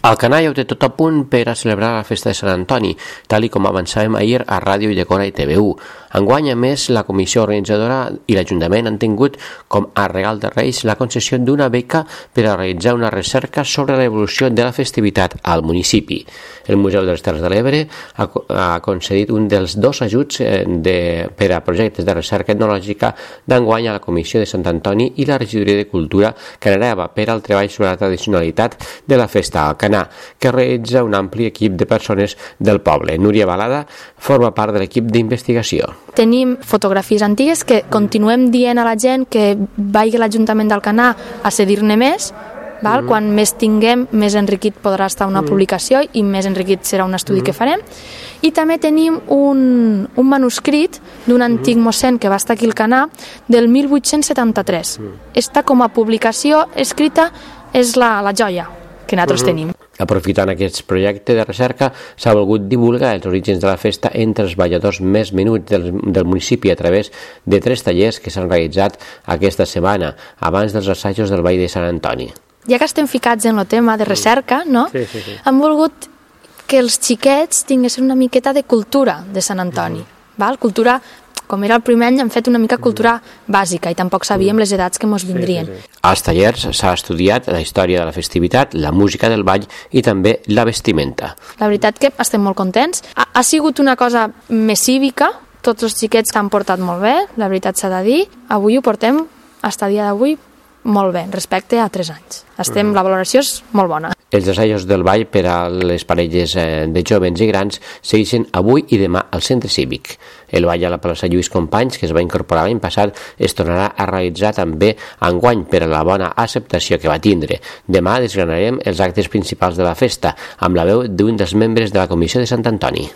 El Canà ja ho té tot a punt per a celebrar la festa de Sant Antoni, tal i com avançàvem ahir a Ràdio Llecona i TV1. Enguany, a més, la comissió organitzadora i l'Ajuntament han tingut com a regal de Reis la concessió d'una beca per a realitzar una recerca sobre l'evolució de la festivitat al municipi. El Museu de les Terres de l'Ebre ha concedit un dels 2 ajuts per a projectes de recerca etnològica d'enguany a la Comissió de Sant Antoni i la Regidoria de Cultura Canareva per al treball sobre la tradicionalitat de la festa al Canà, que realitza un ampli equip de persones del poble. Núria Balada forma part de l'equip d'investigació. Tenim fotografies antigues que continuem dient a la gent que vagi a l'Ajuntament del Canà a cedir-ne més. Quan més tinguem, més enriquit podrà estar una publicació i més enriquit serà un estudi que farem. I també tenim un manuscrit d'un antic mossèn que va estar aquí al Canà del 1873. Esta com a publicació escrita és la joia que nosaltres tenim. Aprofitant aquest projecte de recerca, s'ha volgut divulgar els orígens de la festa entre els balladors més menuts del municipi a través de 3 tallers que s'han realitzat aquesta setmana, abans dels assajos del Ball de Sant Antoni. Ja que estem ficats en el tema de recerca, no? Sí. Hem volgut que els xiquets tinguessin una miqueta de cultura de Sant Antoni. Cultura, com era el primer any, hem fet una mica cultura bàsica i tampoc sabíem les edats que ens vindrien. Als tallers s'ha estudiat la història de la festivitat, la música del ball i també la vestimenta. La veritat que estem molt contents. Ha sigut una cosa més cívica, tots els xiquets s'han portat molt bé, la veritat s'ha de dir. Avui ho portem, fins a dia d'avui, molt bé, respecte a 3 anys. La valoració és molt bona. Els assajos del ball per a les parelles de jovens i grans segueixen avui i demà al centre cívic. El ball a la plaça Lluís Companys, que es va incorporar l'any passat, es tornarà a realitzar també enguany per a la bona acceptació que va tindre. Demà desgranarem els actes principals de la festa, amb la veu d'un dels membres de la Comissió de Sant Antoni.